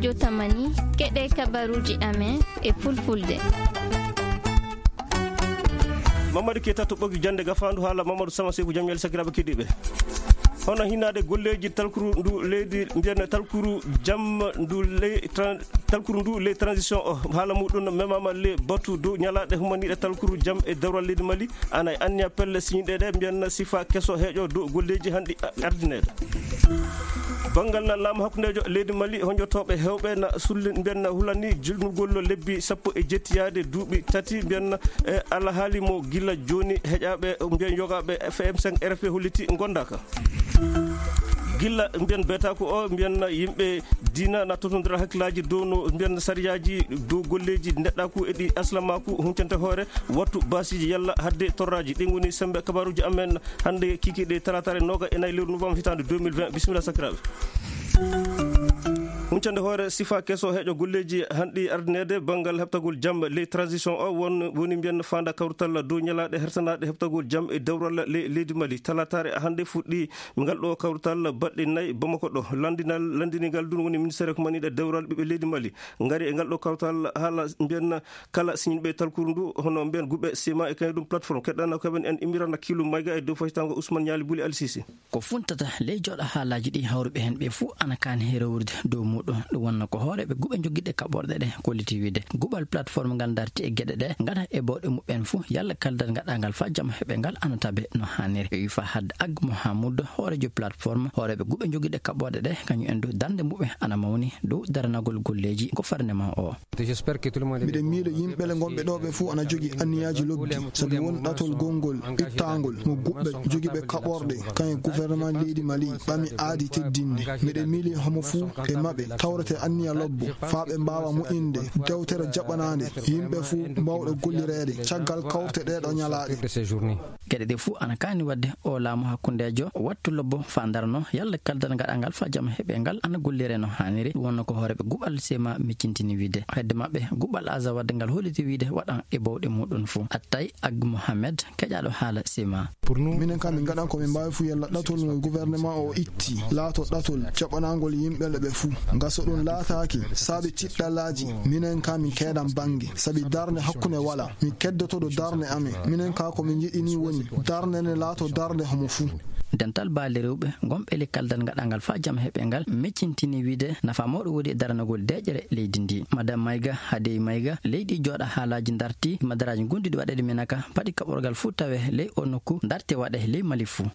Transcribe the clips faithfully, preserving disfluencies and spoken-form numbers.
Jotamani, keɗe kabaruuji amen e fulfulde. Mamadou Keita to ɓoggi jannde gafaandu haala Mamadou Sama Seku Jamyel sakiraaɓe keɗiiɓe. Hono hinaade golleeji talkuru ndu leydi, mbiyen talkuru jam ndu ley tran-, talkuru ndu ley transition o, haala muɗum memaama le batu dow ñalaaɗe humaniiɗe talkuru jam e dewral leydi Mali, ana e anniya pelle siñiɗe ɗe, mbiyen sifa keso heeƴo dow golleeji hanɗi a-, ardineede. Banngal laamu hakkundeejo leydi Mali, honjotooɓe heewɓe na sulli, mbiyen na hulani jilnugol lebbi sappo e jetti yaade duuɓi tati, mbiyen, e, alhaali mo gila jooni heƴaaɓe, mbiyen yogaaɓe F M cinq R F P holliti ngondaaka. Gila mbiyen beetaaku o, mbiyen yimɓe diina na totondira hakkillaaji dow no mbiyen sariyaaji dow golleeji neɗɗaaku e ɗi aslamaaku huncante hoore wattu baasiiji yalla hadde torraaji. Ɗin ngoni sembe kabaruuji amen hannde kikiiɗe talataare nooga e nayi lewru novembre hitaande deux mille vingt. Bisimilla sakiraaɓe. Huncande hoore sifa keso heeƴo golleeji hanɗi ardineede banngal heɓtagol jam ley transition o won, woni mbiyen faanda kawrital dow ñalaaɗe hertanaaɗe heɓtagol jam e dewral le-, leydi Mali. Talataare hannde fuɗɗi ngal ɗo kawrital baɗɗe nayi Bamako ɗo. Lanndinal, lanndini ngal ɗum woni ministére ko maniɗe dewral ɓiɓɓe leydi Mali. Ngari e ngal ɗo kawrital haala mbiyen kala siñinɓe talkuru ndu, hono mbiyen guɓe sima e kañum ɗum plateforme. Keɗɗana ko heɓen en Imirana Kilu Mayga e dow faytango Ousmane Ñaali Buli Alsisi. Ko funtata ley jooɗo haalaaji ɗi hawruɓe heen ɓe fuu ana kaani herowrude dow muɗum. Ɗum wonno ko hooreeɓe guɓe joggiɗe kaɓorɗe ɗe kolliti wiide guɓal plateforme ngal darti e geɗe ɗe ngata e bawɗe muɓɓen fuu yalla kaldal ngaɗangal faa jam heɓe ngal ana tabe no haaniri. Ɓe wi Fahad Ag Mohamoud, hooreejo plateforme, hooreeɓe guɓe joggiɗe kaɓorɗe ɗe, kañum en du darnde muɓɓe ana mawni dow daranagol golleeji gouvernement o. Miɗen miilo yimɓe le ngonɓe ɗo ɓe fuu ana jogi anniyaaji lobbi, sabi won ɗatol gonngol ittaangol mo guɓɓe jogiiɓe kaɓorɗe, kañum gouvernement leydi Mali ɓami aadi teddinde. Miɗen miili homo fuu e maɓɓe tawrete anniya lobbo, faa ɓe mbaawa moƴƴinde dewtere jaɓanaande yimɓe fuu mbaawɗo gollireede caggal kawte ɗee ɗo ñalaaɗe. Geɗe ɗe fuu ana kaani waɗde o laamu hakkundeejo wattu lobbo faa ndarno yalla kaldal ngaɗangal faa jam heɓe ngal ana gollire no haaniri. Ɗum wonno ko hooreeɓe guɓal sema miccintini wiide. Hedde maɓɓe, guɓal Azawad ngal holliti wiide waɗan e bawɗe muɗum fuu. Attay Ag Mohamed, keƴaaɗo haala sema. Minen kam, min ngaɗan ko min mbaawi fuu yalla ɗatol ngol gouvernement o itti laato ɗatol jaɓanaangol yimɓe le ɓe fuu. Nga so ɗum laataaki, saabi tiɗɗallaaji, minen kam min keedan bannge, sabi darnde hakkunde walaa. Min keddotoɗo darnde amen. Minen ka ko min njiɗi ni woni darnde nde laato darnde homo fuu. Dental baale rewɓe gonɓe le kaldal ngaɗangal faa jam heɓe ngal miccintini wiide nafa mawɗo woni e daranagol deeƴere leydi ndi. Madame Mayga, Hadey Mayga, leydi jooɗa haalaaji darti madaraaji gonɗuɗi waɗeede Minaka, paɗi kaɓorgal fuu tawe ley o nokku darte waɗe ley Mali fuu.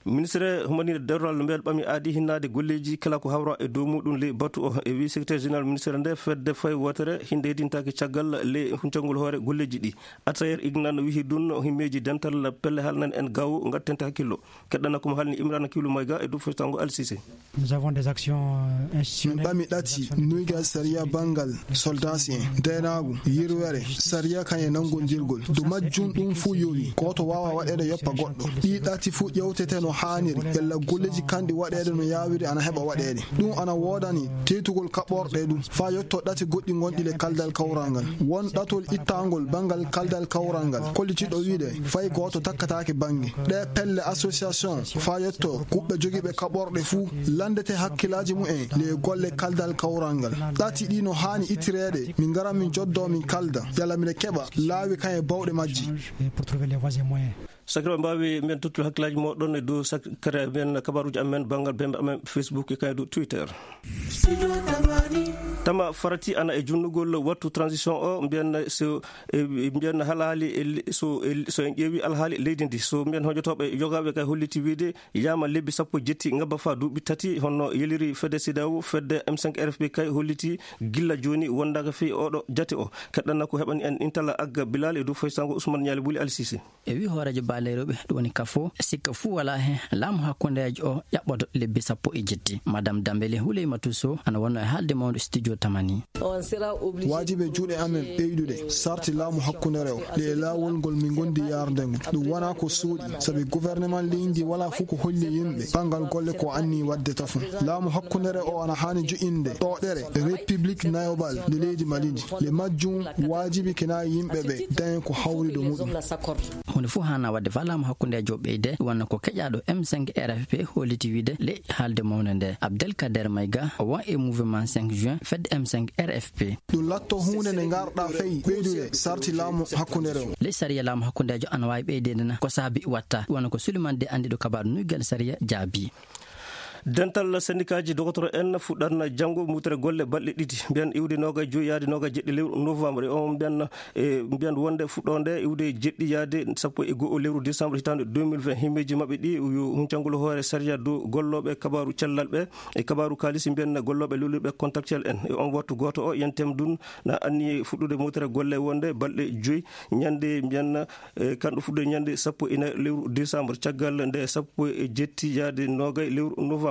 Ministre humaniiɗo dewral mbel ɓami aadi hinnaade golleeji kala ko hawra e dow muɗum ley batu o. E wi secrétaire général ministre nde fedde fay wootere hinde hedintaake caggal ley huncangol hoore golleeji ɗi. Atayer Ignan wihi ɗum himmeeji dental pelle haalnan en gaw ngattente hakkillo. Keɗɗana ko mo haalni Imrana Kilu Mayga e dow fotango Alsise. Nous avons des actions, euh, Min institutionnelles, ɓami ɗati nuygal sariya banngal soldats en, deenaagu, yirwere, sariya kañe nanngondirgol. Dow majjum ɗum fuu yowi, gooto waawa waɗeede yoppa goɗɗo. Ɗi ɗati fuu ƴewtete no haaniri, yalla golleeji kanɗi waɗeede no yaawiri ana heɓa waɗeede. Ɗum ana woodani teytugol kaɓorɗe ɗum, faa yotto ɗati goɗɗi gonɗi le kaldal kawral ngal. Won ɗatol ittangol banngal kaldal kawral ngal, kollitiiɗo wiide fay gooto takkataake bannge. Ɗe pelle association faa yotto kuɓɓe jogiiɓe kaɓorɗe fuu lanndete hakkillaaji mumen le golle kaldal kawral ngal. Ɗati ɗi no haani ittireede, min ngara min joddo min kalda, yalla miɗen keɓa laawi kan e bawɗe majji. Pour trouver les voies et moyens. Sakiraaɓe, mbaawi men tottude hakkillaaji mooɗon e dow sakiraaɓe men kabaruuji amen banngal bembe amen Facebook e kaydu Twitter. Tama farati ana e junnugol wattu transition o, mbiyen so, e, mbiyen halaali e li-, so, e, so en ƴeewi alhaali leydi ndi, so mbiyen hojotooɓe yogaaɓe kay holliti wiide yaama lebbi sappo jetti ngabba faa duuɓi tati, honno yeliri fedde CEDEAO, fedde M cinq R F P kay holliti gilla jooni wondaaka fii oɗo jate o. Keɗɗana ko heɓani en intala agga Bilal e dow faysango Ousmane Ñaali Buli Alsise. E wi hooreejo baale rewɓe, ɗum woni kafo, sikka fuu walaa heen laamu hakkundeejo o ƴaɓɓoto lebbi sappo e jetti. Madame Dambele Huleymatou Sow ana wonno e haalde mawɗo studio Tamani. Waajibi e juuɗe amen ɓeydude sarti laamu hakkunere o, ɗe e laawol ngol min ngondi yaarde ngu. Ɗum wonaa ko suuɗi, sabi gouvernement leydi ndi walaa fof ko holli yimɓe banngal golle ko anni waɗde tafon. Laamu hakkunere o ana haani joƴinde ɗoɗere République nayobal nde leydi Mali ndi. Le majjum waajibi kena yimɓe ɓe dañen ko hawri ɗo muɗum. Huunde fof haana waɗde fa laamu hakkundeejo ɓeyde, wonno ko keƴaaɗo M cinq R F P holliti wiide le haalde mawnde nde. Abdelkader Maïga, o won e mouvement cinq juin, fedde M cinq R F P. Ɗum latto huunde nde ngarɗa fay ɓeydude sarti laamu hakkundeere o. Ley sariya laamu hakkundeejo ana waawi ɓeydeede na ko saabi watta, wano ko Suliman De anndiɗo kabaaru nuygal sariya jaabi. Dental sendikaaji dogotoro en fuɗɗan janngo mutere golle balɗe ɗiɗi, mbiyan iwde noogay joyi yaade noogay jeɗɗi lewru novembre. E on mbiyan, e mbiyan wonde fuɗɗoonde iwde jeɗɗi yaade sappo e go'o lewru décembre hitaande deux mille vingt, himmeeji maɓɓe ɗi yo huncangol hoore sariya dow gollooɓe kabaaru cellal ɓe e kabaaru kaalisi mbiyan gollooɓe lolirɓe contractuel en. E on wattu gooto o, yentem ɗum na anni fuɗɗude mutere golle wonde balɗe joyi ñande mbiyan, e kanɗo fuɗɗude ñande sappo e nayi lewru décembre, caggal nde sappo e jetti yaade noogay lewru novembre.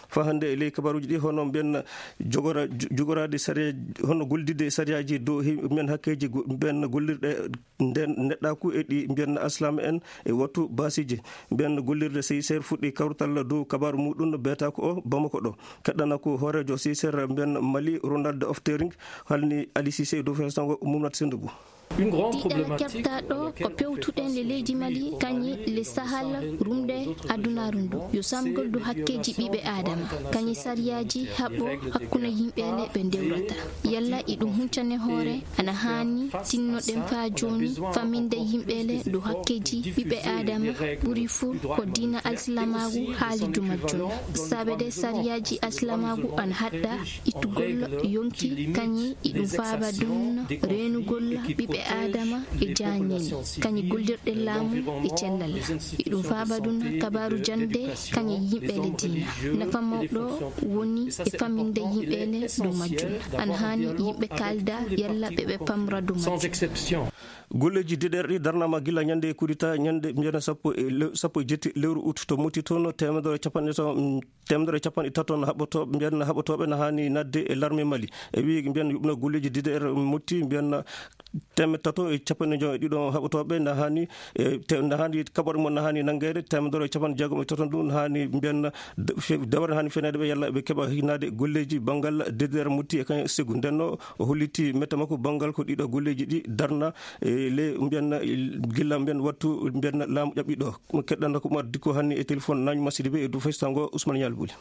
Fa hannde e ley kabaaruuji ɗi, hono mbiyan jogora-, jo-, jogoraade sariya, hono gollidde e sariyaaji dow he-, mbiyan hakkeeji go-, mbiyan gollirɗe nden neɗɗaaku e ɗi mbiyan aslama en e wattu baasiiji. Mbiyan gollirde C I C R fuɗɗi kawrital dow kabaaru muɗum beetaako o Bamako ɗo. Keɗɗana ko hooreejo C I C R mbiyan Mali, Ronald Oftering, halni Ali Cissé dow fesango Mumnat Sendugu. Une grande Tiiɗal problématique keɓtaaɗo ko pewtuɗen le leydi Mali, kañe le Sahal, rumde adunaaru ndu. Yo samgol dow hakkeeji ɓiɓɓe Aadama, kañe sariyaaji haɓɓo hakkunde yimɓe le ɓe ndewrata. Yalla iɗum huncane hoore, ana haani tinnoɗen faa jooni faminde yimɓe le dow hakkeeji ɓiɓɓe Aadama, ɓuri fuu ko diina alsilamaagu haali dow majjum. Saabede sariyaaji alsilamaagu ana haɗɗa ittugol yonki, kañe iɗum faaba ɗum reenugol ɓiɓɓe Aadama e jaañini, kañe gollirɗe laamu e cellal. Iɗum faaba ɗum kabaaru jannde, kañe yimɓe le diina. Nafa mawɗo woni e faminde yimɓe le dow majjum. Ana haani yimɓe kaalda yalla ɓe ɓe pamra dow majjum. Golleeji D D R ɗi darnaama gila ñande kudita, ñande mbiyan sappo e lew-, sappo e jetti lewru ut to Moti toon, teemedere e capanɗe taw-, mm, teemedere e capanɗe tato no haɓɓotooɓe, mbiyan haɓɓotooɓe no haani nadde e larme Mali. E wii mbiyan yuɓno golleeji D D R Moti, mbiyan teemedde tato e capanɗe jowi e ɗiɗo haɓɓotooɓe no haani, e te-, no haani kaɓorɗe mon no haani nanngeede, teemedere e capanɗe jeegom e tato ɗum no haani mbiyan de-, fe-, dawre no haani feneede ɓe yalla ɓe keɓa hinaade golleeji banngal D D R Moti e kañum e Segu. Ndenno o holliti mette makko banngal ko ɗiɗo golleeji ɗi darna e le mbiyan gilla mbiyan wattu mbiyan laamu ƴaɓɓi ɗo. Mo keɗɗanɗo ko Umar Dikko hanni e téléphone Nañ Masidi ɓe e du festango Ousmane Ñal Buli.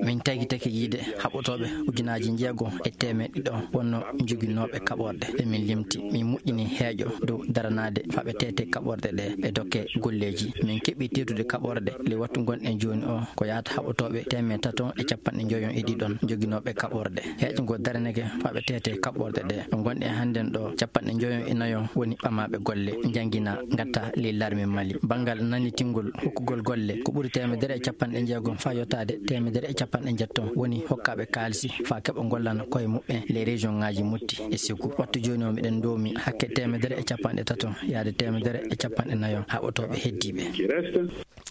Min tagitake yiide haɓɓotooɓe ujunaaji njeego e teemeɗɗe ɗiɗo wonno joginooɓe kaɓorɗe. Ɓe min limti, min moƴƴini heeƴo dow daranaade faɓe tete kaɓorɗe ɗe e dokke golleeji. Min keɓi teetude kaɓorɗe le wattu gonɗen jooni o ko yaata haɓɓotooɓe teemeɗɗe tato e capanɗe njoyon e ɗiɗon joginooɓe kaɓorɗe. Heeƴo ngo daranake faɓe tete kaɓorɗe ɗe. Ɗo gonɗen hannden ɗo capanɗe njoyon e nayon woni ɓamaaɓe golle, njanngina, ngatta ley larme Mali. Banngal nannitingol hokkugol golle ko ɓuri teemedere e capanɗe jeegom faa yottaade teemedere e capanɗe njetton woni hokkaaɓe kaalisi faa keɓa ngollana koye muɓɓen ley région ŋaaji Motti e Segu. Wattu jooni o miɗen ndoomi hakke teemedere e capanɗe tato yaade teemedere e capanɗe nayon haɓotooɓe heddiiɓe.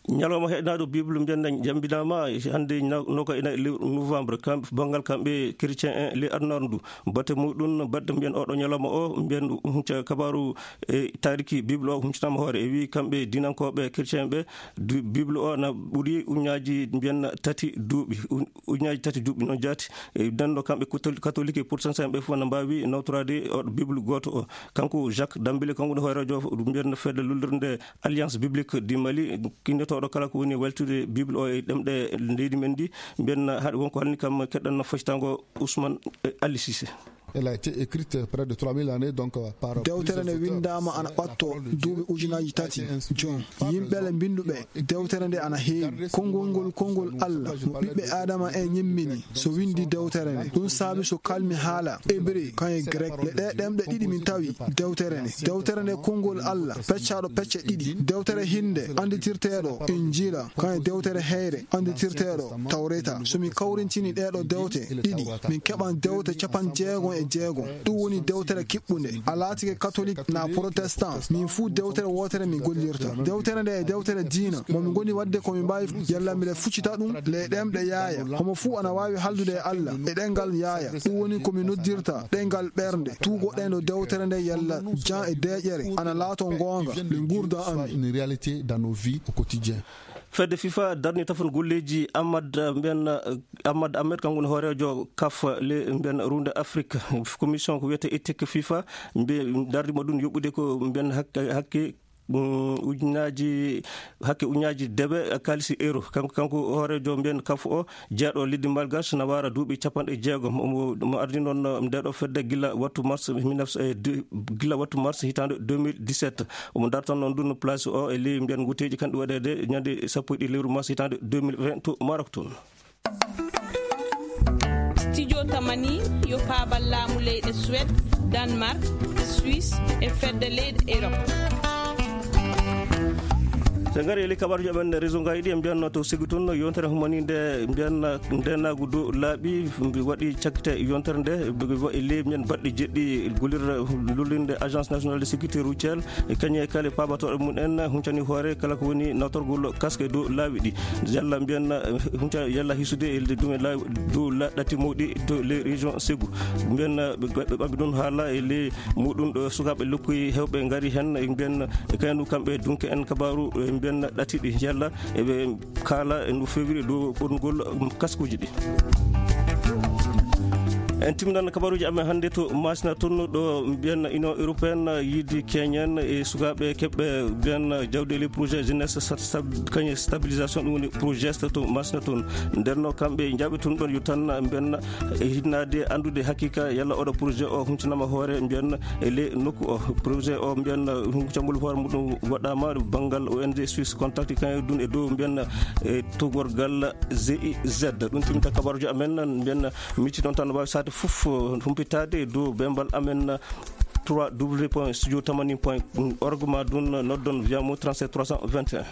Ñalawma heɗnaaɗo Bible mbiyen jambinaama hannde na-, noka ina lewru novembre, kam, banngal kamɓe chrétien en ley adunaaru ndu. Bate muɗum, batte mbiyen oɗo ñalawma o, mbiyen hunca kabaaru e taariki Bible o huncanaama hoore. E wii kamɓe diinankooɓe chrétien ɓe, du-, Bible o na ɓuri uñaaji mbiyen tati duuɓi, u-, uñaaji tati duuɓi noon jaati. E denndo kamɓe kotol-, katolike e protestant ɓe fof na mbaawi nawtoraade oɗo Bible gooto o. Kanko Jacques Dambélé, kanko woni hooreejo mbiyen fedde lullirde Alliance Biblique du Mali, kinnotooɗo kala ko woni weltude Bible o e ɗemɗe leydi men ndi, mbiyen haɗa won ko halni kam keɗɗan foccitango Ousmane, eh, Ali Cissé. Elle a été écrite près de trois mille années, donc, euh, par Dewtere nde plusieurs auteurs. Winndaama ana ɓatto duuɓi ujunaaji tati jooni. Yimɓe le mbinnduɓe dewtere nde ana heewi. Konngol ngol, konngol Allah, mo ɓiɓɓe Aadama en ñimmini, so winndi dewtere nde. Ɗum saabi so kalmi haala Hébreu, kan e Grek, le ɗe ɗemɗe ɗiɗi min tawi dewtere nde. Dewtere nde konngol Allah, peccaaɗo pecce ɗiɗi. Dewtere hinnde annditirteeɗo Injiila, kan e dewtere heyre annditirteeɗo Tawreeta. So min kawrintini ɗeeɗo dewte ɗiɗi, min keɓan dewte capanɗe jeegom e jeegom. Ɗum woni dewtere kiɓɓunde. A laatike katolik naa protestant, min fuu dewtere wootere min gollirta. Dewtere nde e dewtere diina, mo min ngoni waɗde ko min mbaawi, yalla miɗen fuccita ɗum ley ɗemɗe yaaya. Homo fuu ana waawi haaldude e Alla e ɗemngal yaaya. Ɗum woni ko min noddirta ɗemngal ɓernde. Tuugoɗen ɗo dewtere nde yalla jam e deeƴere ana laato ngoonga ley nguurndam amin. Une réalité dans nos vies au quotidien. Fedde fifa darni tafon golleeji Ahmad, eh, mbiyen, eh, Ahmad Ahmed, kanko woni hooreejo kaf ley mbiyen ruunde Afrik. Commission ko wiyetee éthique fifa, mbiye darnii mo ɗum yoɓude ko mbiyen hakke, hakke, mm, ujunnaaji, hakke ujunnaaji debe kaalisi euro. Kanko, kanko hooreejo mbiyen kaf o, jeyaɗo leydi Malgache, na waara duuɓi cappanɗe jeegom. Omo, omo ardii noon, eh, ndee ɗoo fedde gila wattu mars mille neuf cent, eh, du-, gila wattu mars hitaande deux mille dix-sept. Omo darta noon ndun place o e ley mbiyen nguteeji kanɗi waɗeede ñande sappo e ɗiɗi lewru mars hitaande deux mille vingt to Maroc toon. Studio Tamani yo paabal laamu leyɗe Suède, Danemark, Suisse e fedde leyɗe Europe. So en ngarii e ley kabaruuji amen réseau ngaji ɗi, en mbiyanno to Ségou toon, yontere humaniinde mbiyan ndeenaagu dow laaɓi, mbi waɗi cakkite yontere nde, mbi waɗi ley mbiyan baɗɗe jeɗɗi gollirde lullinde Agence Nationale de Sécurité Routière, e kañum e kala paabatooɗo mum en huncani hoore kala ko woni nawtorgol casque e dow laawi ɗi. Yalla mbiyan, eh, hunca yalla hisude e ɗum e laawi dow la-, ɗatti mawɗi to les régions Ségou. Mbiyan, eh, ɓe, ɓe ɓambi ɗum haala e ley muɗum ɗo sukaaɓe lokkoyi heewɓe ngari heen, e mbiyan, e kaynu kamɓe dunke en kabaaru, e mbiyan ɗatti ɗi yalla eɓe kaala e no feewiri dow ɓornugol, um, kaskuuji ɗi. En timminan kabaruuji amen hannde to Masina toon, ɗo mbiyen Union Européenne yiɗi keñen e sukaaɓe keɓɓe mbiyen jawdi e ley projet jeunesse sta-, stab-, kañum stabilisation, ɗum woni projet to Masina toon. Nden no kamɓe njaaɓi toon ɗon yo tan mbiyen e hinnaade anndude hakiika yalla oɗo projet o huncanaama hoore mbiyen e ley nokku o. Projet o mbiyen huncangol hoore muɗum waɗaama banngal O N G Suisse Contact, kañum ɗum e dow mbiyen e tugorgal G I Z. Ɗum timmita kabaruuji amen, mbiyen micci noon tan waawi sahade fof humpitaade e dow bembal amen trois W point studio tamani point org, ma ɗum noddon via mo trente-sept trois cent vingt et un.